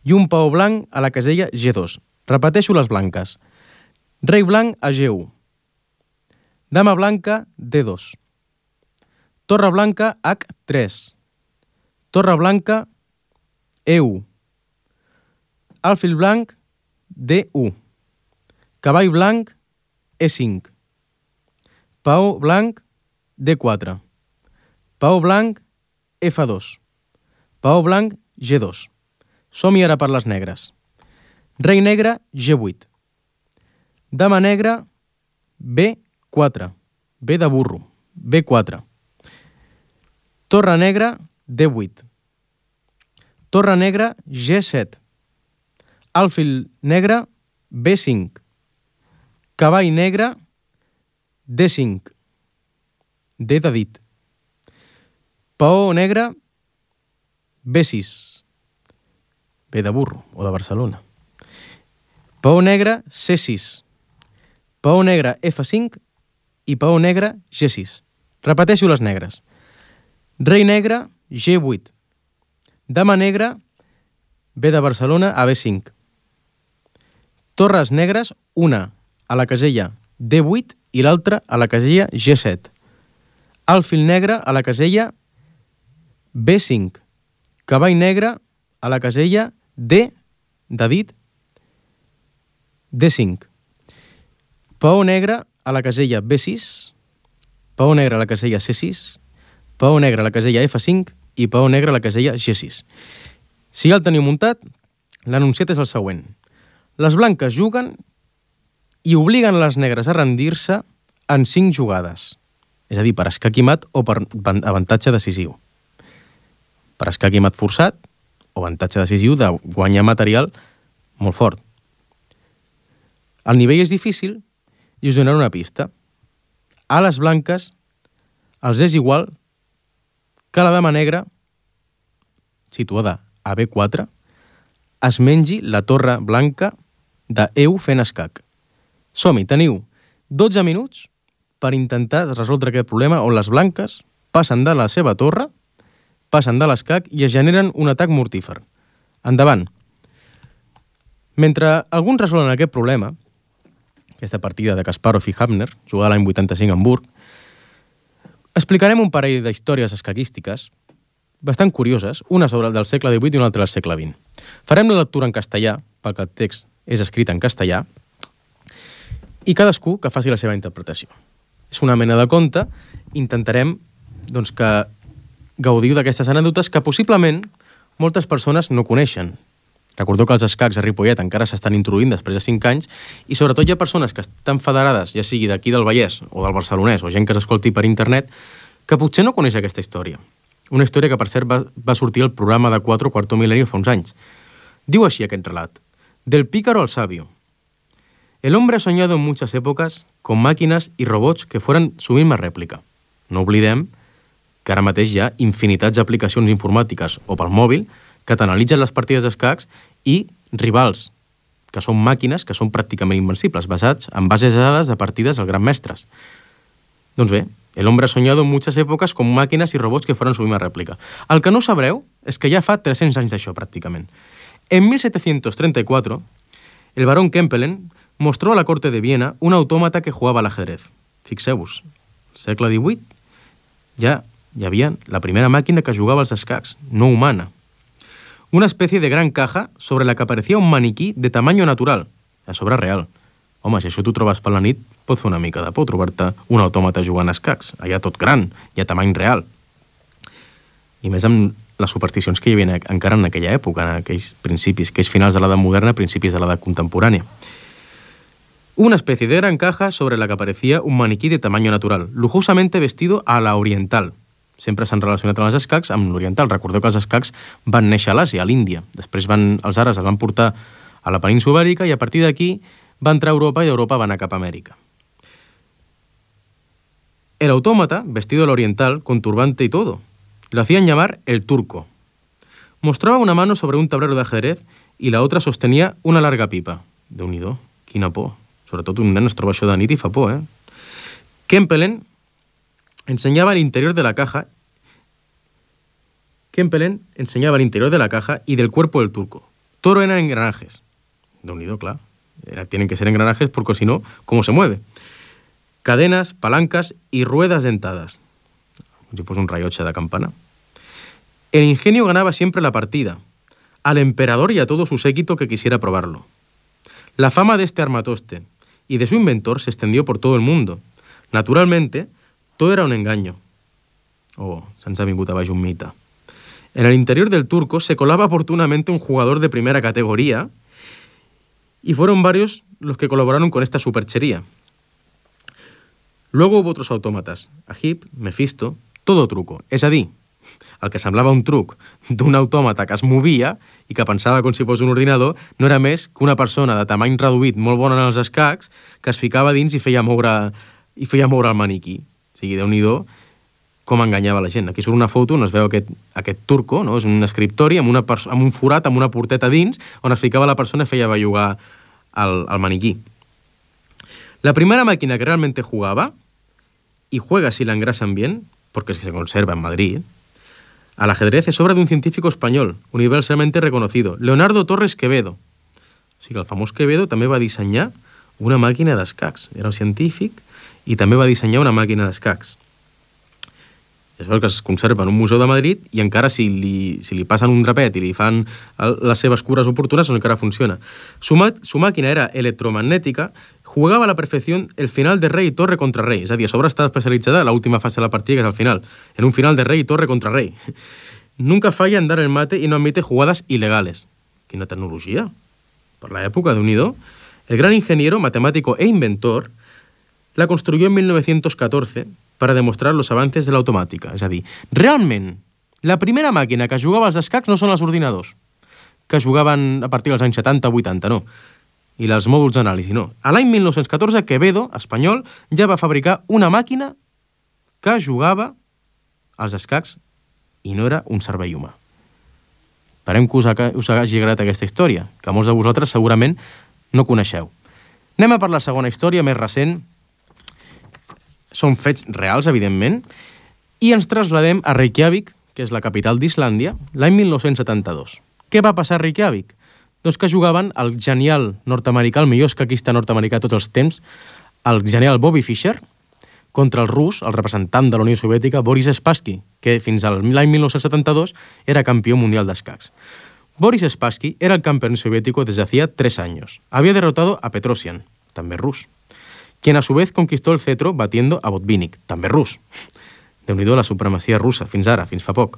I un paó blanc a la casella G dos. Repeteixo les blanques. Rei blanc a G u. Dama blanca D dos. Torre blanca H tres. Torre blanca E u. Alfil blanc D u. Cavall blanc E cinc. Paó blanc D quatre. Paó blanc F dos. Paó blanc G dos. Som-hi ara per les negres. Rei negre G vuit. Dama negra B quatre. B de burro. B quatre. Torre negra D vuit. Torre negra G set. Alfil negre B cinc. Cavall negre D cinc. D de dit. Paó negre B sis. B de burro o de Barcelona. Paó negre C sis. Paó negre F cinc i paó negre G sis. Repeteixo les negres. Rei negre G vuit. Dama negra B de Barcelona a B cinc. Torres negres, una a la casella D vuit i l'altra a la casella G set. Alfil negre a la casella B cinc. Cavall negre a la casella D, de dit, D cinc. Paó negre a la casella B sis. Paó negre a la casella C sis. Paó negre a la casella F cinc i paó negre a la casella G sis. Si ja el teniu muntat, l'enunciat és el següent. Les blanques juguen i obliguen les negres a rendir-se en cinc jugades. És a dir, per escac i mat o per avantatge decisiu. Per escac i mat forçat o avantatge decisiu de guanyar material molt fort. El nivell és difícil i us donaré una pista. A les blanques els és igual que la dama negra, situada a B quatre, es mengi la torre blanca de E u fent escac. Som-hi, teniu dotze minuts per intentar resoldre aquest problema on les blanques passen de la seva torre, passen de l'escac i es generen un atac mortífer. Endavant. Mentre alguns resolen aquest problema, aquesta partida de Kasparov i Hamner, jugada l'any vuitanta-cinc a Hamburg, explicarem un parell d'històries escaquístiques bastant curioses, una sobre el del segle divuit i una altra del segle vint. Farem la lectura en castellà, perquè el text és escrit en castellà, i cadascú que faci la seva interpretació. És una mena de conte, intentarem doncs, que gaudiu d'aquestes anècdotes que possiblement moltes persones no coneixen. Recordeu que els escacs a Ripollet encara s'estan introduint després de cinc anys i sobretot hi ha persones que estan federades, ja sigui d'aquí del Vallès o del Barcelonès o gent que s'escolti per internet, que potser no coneix aquesta història. Una història que, per cert, va, va sortir al programa de quatre Cuarto Milenio fa uns anys. Diu així aquest relat. Del pícaro al sabio. El hombre ha soñado en muchas épocas con màquines i robots que foren su misma rèplica. No oblidem que ara mateix hi ha infinitats d'aplicacions informàtiques o pel mòbil que t'analitzen les partides d'escacs i rivals, que són màquines que són pràcticament invencibles, basats en bases de dades de partides dels grans mestres. Doncs bé, el hombre ha soñado en muchas épocas con máquinas y robots que fueron su misma réplica. El que no sabreu és que ja fa tres-cents anys d'això, pràcticament. En mil setecientos treinta y cuatro, el barón Kempelen mostró a la corte de Viena un autómata que jugaba al ajedrez. Fixeu-vos, segle divuit, ja hi havia la primera màquina que jugava als escacs, no humana. Una especie de gran caja sobre la que aparecía un maniquí de tamaño natural, a sobre real. Home, si això t'ho trobes per la nit, pot fer una mica de por trobar-te un autòmata jugant a escacs, allà tot gran i a tamany real. I més amb les supersticions que hi havia encara en aquella època, en aquells principis, aquells finals de l'edat moderna, principis de l'edat contemporània. Una especie de gran caja sobre la que aparecía un maniquí de tamaño natural, lujosamente vestido a la oriental. Sempre s'han relacionat amb els escacs amb l'oriental. Recordeu que els escacs van néixer a l'Àsia, a l'Índia. Després van, els àrabs els van portar a la península ibèrica i a partir d'aquí va entrar a Europa y de Europa va anar cap a América. El autómata, vestido al oriental, con turbante y todo, lo hacían llamar el turco. Mostraba una mano sobre un tablero de ajedrez y la otra sostenía una larga pipa. Déu-n'hi-do, quina por. Sobretot un nen es troba això de nit i fa por, eh? Kempelen enseñaba el interior de la caja Kempelen enseñaba el interior de la caja y del cuerpo del turco. Todo eran engranajes. Déu-n'hi-do, clar. Tienen que ser engranajes porque si no, ¿cómo se mueve? Cadenas, palancas y ruedas dentadas. Como si fuese un rayoche de campana. El ingenio ganaba siempre la partida, al emperador y a todo su séquito que quisiera probarlo. La fama de este armatoste y de su inventor se extendió por todo el mundo. Naturalmente, todo era un engaño. Oh, se'ns ha vingut a baix un mite. En el interior del turco se colaba oportunamente un jugador de primera categoría y fueron varios los que colaboraron con esta superchería. Luego hubo otros autómatas, Agip, Mefisto, todo truco. És a dir, el que semblava un truc d'un autòmata que es movia i que pensava com si fos un ordinador no era més que una persona de tamany reduït molt bona en els escacs que es ficava dins i feia moure, i feia moure el maniquí. O sigui, Déu-n'hi-do com enganyava la gent. Aquí surt una foto on es veu aquest, aquest turco, no? És un escriptori amb, una amb un forat, amb una porteta dins, on es ficava la persona i feia bellugar el, el maniquí. La primera máquina que realmente jugaba, y juega si la engrasan bien, porque es que se conserva en Madrid, al ajedrez es obra de un científico español, universalmente reconocido, Leonardo Torres Quevedo. O sigui, el famós Quevedo també va dissenyar una màquina d'escacs. Era un científic i també va dissenyar una màquina d'escacs. És el que es conserva en un museu de Madrid i encara si li, si li passen un drapet i li fan el, les seves cures oportunes, doncs encara funciona. Su, su màquina era electromagnètica, jugava a la perfecció el final de rei i torre contra rei. És a dir, a sobre està especialitzada en l'última fase de la partida, que és el final, en un final de rei i torre contra rei. Nunca falla en dar el mate y no admite jugadas ilegales. Quina tecnologia. Per la època, Déu-n'hi-do. El gran ingeniero, matemático e inventor la construyó en mil novecientos catorce para demostrar los avances de la automàtica. És a dir, realment, la primera màquina que jugava als escacs no són els ordinadors, que jugaven a partir dels anys setanta vuitanta, no. I els mòduls d'anàlisi, no. A l'any mil nou-cents catorze, Quevedo, espanyol, ja va fabricar una màquina que jugava als escacs i no era un cervell humà. Esperem que us, us hagi agradat aquesta història, que molts de vosaltres segurament no coneixeu. Anem a per la segona història, més recent. Són fets reals, evidentment, i ens trasladem a Reykjavik, que és la capital d'Islàndia, l'any mil nou-cents setanta-dos. Què va passar a Reykjavik? Doncs que jugaven el genial nord-americà, el millor escaquista nord-americà de tots els temps, el genial Bobby Fischer, contra el rus, el representant de la Unió Soviètica, Boris Spassky, que fins a l'any mil nou-cents setanta-dos era campió mundial d'escacs. Boris Spassky era el campeón soviético desde hacía tres años. Había derrotado a Petrosian, també rus, quien a su vez conquistó el cetro batiendo a Botvinnik, també rus. Déu-n'hi-do la supremacía rusa, fins ara, fins fa poc.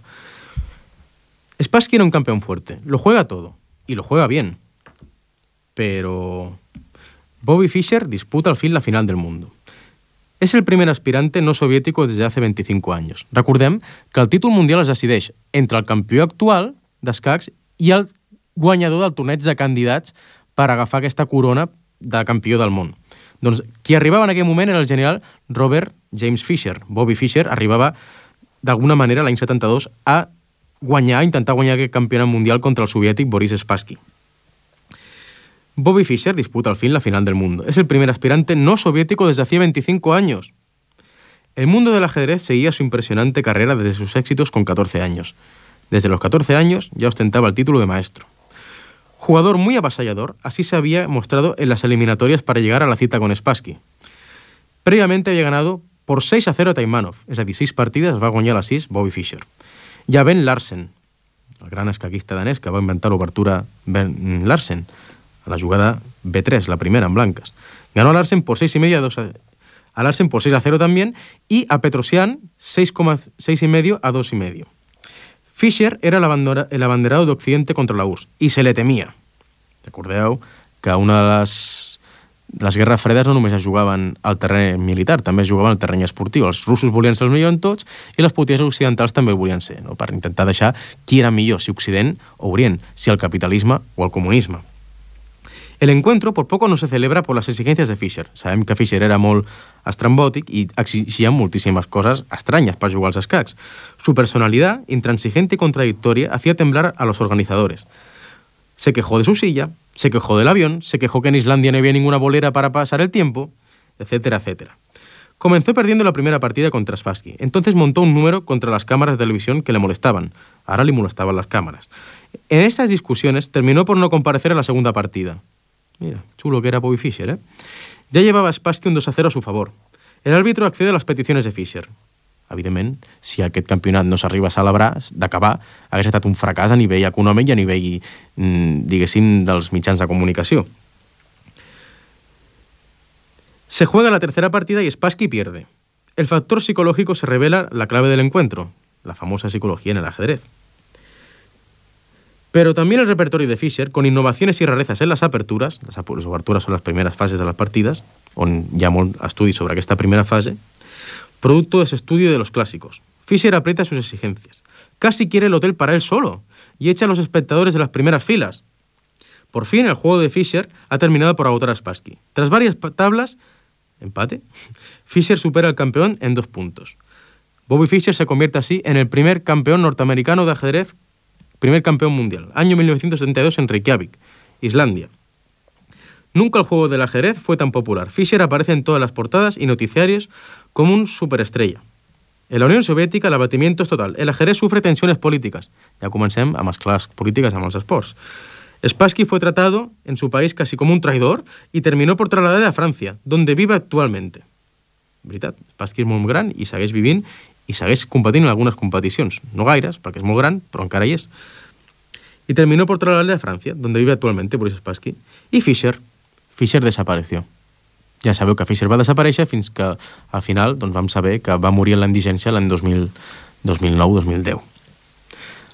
Spassky era un campeón fuerte, lo juega todo, y lo juega bien. Pero Bobby Fischer disputa al fin la final del mundo. Es el primer aspirante no soviético desde hace veinticinco años. Recordem que el títol mundial es decideix entre el campió actual d'escacs i el guanyador del torneig de candidats per agafar aquesta corona de campió del món. Doncs qui arribava en aquell moment era el general Robert James Fisher. Bobby Fischer arribava d'alguna manera l'any setanta-dos a guanyar, a intentar guanyar aquest campionat mundial contra el soviètic Boris Spassky. Bobby Fischer disputa al fin la final del mundo. Es el primer aspirante no soviético desde hacía veinticinco años. El mundo del ajedrez seguía su impresionante carrera desde sus éxitos con catorce años. Desde los catorce años ya ostentaba el título de maestro. Jugador muy avasallador, así se había mostrado en las eliminatorias para llegar a la cita con Spassky. Previamente había ganado por seis a cero a Taimanov, és a dir, sis partides va guanyar les sis Bobby Fischer. I a Ben Larsen, el gran escaquista danès que va inventar l'obertura Ben Larsen, a la jugada be tres, la primera en blancas. Ganó a Larsen por seis y medio a dos a, a Larsen por seis a cero también, y a Petrosian seis coma seis y medio a dos y medio. Fischer era el abanderado d'Occidente contra la U R S S i se le temia. Recordeu que una de les, de les guerres fredes no només es jugaven al terreny militar, també es jugaven al terreny esportiu. Els russos volien ser els millors en tots i les potències occidentals també ho volien ser, no? Per intentar deixar qui era millor, si Occident o Orient, si el capitalisme o el comunisme. El encuentro por poco no se celebra por las exigencias de Fischer. Sabem que Fischer era molt estrambòtic i exigía muchísimas cosas extrañas para jugar als escacs. Su personalidad, intransigente y contradictoria, hacía temblar a los organizadores. Se quejó de su silla, se quejó del avión, se quejó que en Islandia no había ninguna bolera para pasar el tiempo, etcétera, etcétera. Comenzó perdiendo la primera partida contra Spassky. Entonces montó un número contra las cámaras de televisión que le molestaban. Ahora le molestaban las cámaras. En estas discusiones terminó por no comparecer a la segunda partida. Mira, chulo que era Bobby Fischer, ¿eh? Ya llevaba Spassky un dos a cero a su favor. El árbitro accede a las peticiones de Fischer. Evidentment, si aquest campionat no s'arriba a celebrar, d'acabar, hagués estat un fracàs a nivell econòmic i a nivell, diguéssim, dels mitjans de comunicació. Se juega la tercera partida y Spassky pierde. El factor psicológico se revela la clave del encuentro, la famosa psicología en el ajedrez. Pero también el repertorio de Fischer, con innovaciones y rarezas en las aperturas, las obertures son las primeras fases de las partidas, on hi ha molt estudi sobre aquesta primera fase, producto de ese estudio de los clásicos. Fischer aprieta sus exigencias. Casi quiere el hotel para él solo y echa a los espectadores de las primeras filas. Por fin, el juego de Fischer ha terminado por agotar a Spassky. Tras varias tablas, empate, Fischer supera al campeón en dos puntos. Bobby Fischer se convierte así en el primer campeón norteamericano de ajedrez, primer campeón mundial, año mil novecientos setenta y dos en Reykjavik, Islandia. Nunca el juego del ajedrez fue tan popular. Fischer aparece en todas las portadas y noticiarios como un superestrella. En la Unión Soviética el abatimiento es total. El ajedrez sufre tensiones políticas. Ya comencem amb les clars polítiques amb els esports. Spassky fue tratado en su país casi como un traidor y terminó por trasladarse a Francia, donde vive actualmente. Veritat, Spassky és molt gran i segueix vivint i segueix competint en algunes competicions. No gaires, perquè és molt gran, però encara hi és. Y terminó por trasladarse a Francia, donde vive actualmente Boris Spassky. Y Fischer, Fischer desapareció. Ja sabeu que Fischer va desaparèixer fins que al final doncs, vam saber que va morir en la indigència l'any dos mil nou dos mil deu.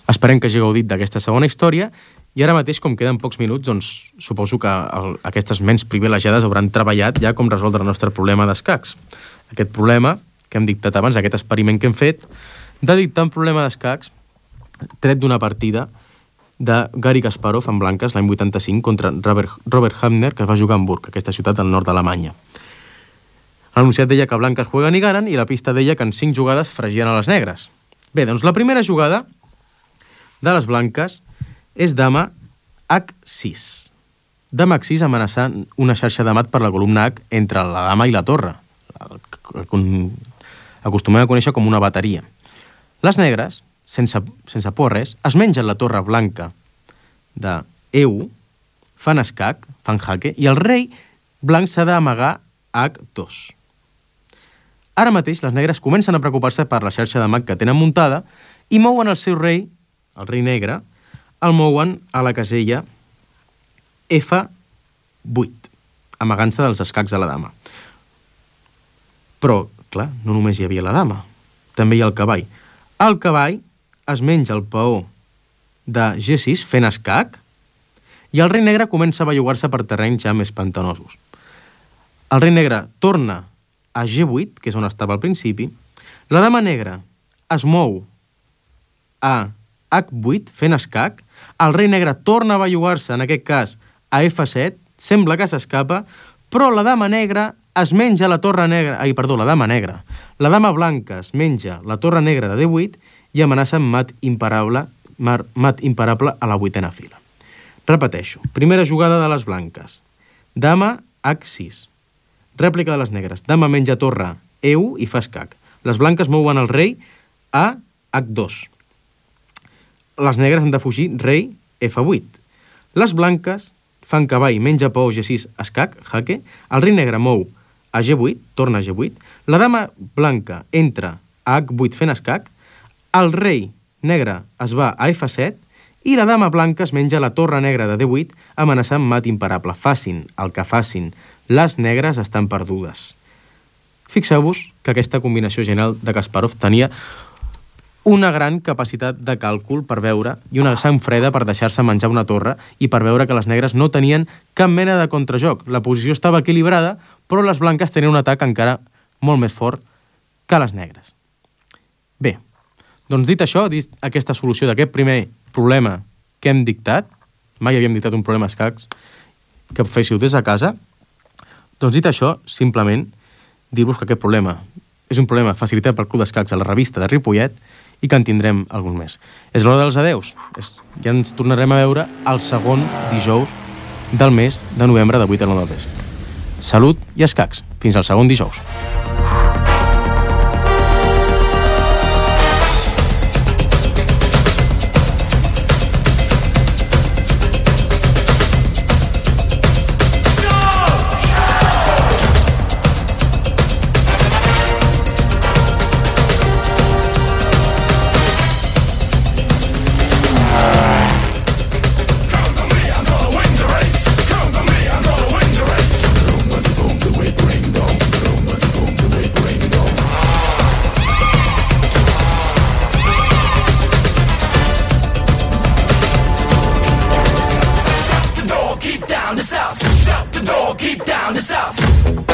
Esperem que hagi gaudit d'aquesta segona història i ara mateix, com queden pocs minuts, doncs suposo que el, aquestes ments privilegiades hauran treballat ja com resoldre el nostre problema d'escacs. Aquest problema que hem dictat abans, aquest experiment que hem fet, de dictar un problema d'escacs tret d'una partida de Garry Kasparov en blanques l'any vuitanta-cinc contra Robert, Robert Hübner, que es va jugar a Hamburg, aquesta ciutat al nord d'Alemanya. L'anunciat deia que blanques jueguen i ganen i la pista deia que en cinc jugades fregien a les negres. Bé, doncs la primera jugada de les blanques és dama hac sis. Dama hac sis amenaçant una xarxa de mat per la columna H entre la dama i la torre. Acostumem a conèixer com una bateria. Les negres, sense, sense por res, es mengen la torre blanca de E u, fan escac, fan jaque, i el rei blanc s'ha d'amagar hac dos. Ara mateix les negres comencen a preocupar-se per la xarxa de mat que tenen muntada i mouen el seu rei, el rei negre, el mouen a la casella efa vuit, amagant-se dels escacs de la dama. Però, clar, no només hi havia la dama, també hi ha el cavall. El cavall es menja el peó de ge sis fent escac i el rei negre comença a bellugar-se per terrenys ja més pantanosos. El rei negre torna a ge vuit, que és on estava al principi, la dama negra es mou a hac vuit fent escac, el rei negre torna a bellugar-se, en aquest cas, a efa set, sembla que s'escapa, però la dama negra es menja la torre negra... Ai, perdó, la dama negra. La dama blanca es menja la torre negra de D vuit i amenaça amb mat imparable, mat imparable a la vuitena fila. Repeteixo. Primera jugada de les blanques. Dama H sis. Rèplica de les negres. Dama menja torre E u i fa escac. Les blanques mouen el rei a H dos. Les negres han de fugir rei F vuit. Les blanques fan cavall, menja peó G sis, escac, jaque. El rei negre mou a G vuit, torna a G vuit. La dama blanca entra a H vuit fent escac. El rei negre es va a F set i la dama blanca es menja la torre negra de D vuit amenaçant mat imparable. Facin el que facin, les negres estan perdudes. Fixeu-vos que aquesta combinació genial de Kasparov tenia una gran capacitat de càlcul per veure i una sang freda per deixar-se menjar una torre i per veure que les negres no tenien cap mena de contrajoc. La posició estava equilibrada, però les blanques tenien un atac encara molt més fort que les negres. Bé, doncs dit això, dit aquesta solució d'aquest primer problema que hem dictat, mai havíem dictat un problema escacs, que féssiu des de casa, doncs dit això, simplement dir-vos que aquest problema és un problema facilitat pel Club d'Escacs a la revista de Ripollet i que en tindrem alguns més. És l'hora dels adeus. És, ja ens tornarem a veure el segon dijous del mes de novembre de vuit a nou del vespre. Salut i escacs. Fins al segon dijous. Keep down the south.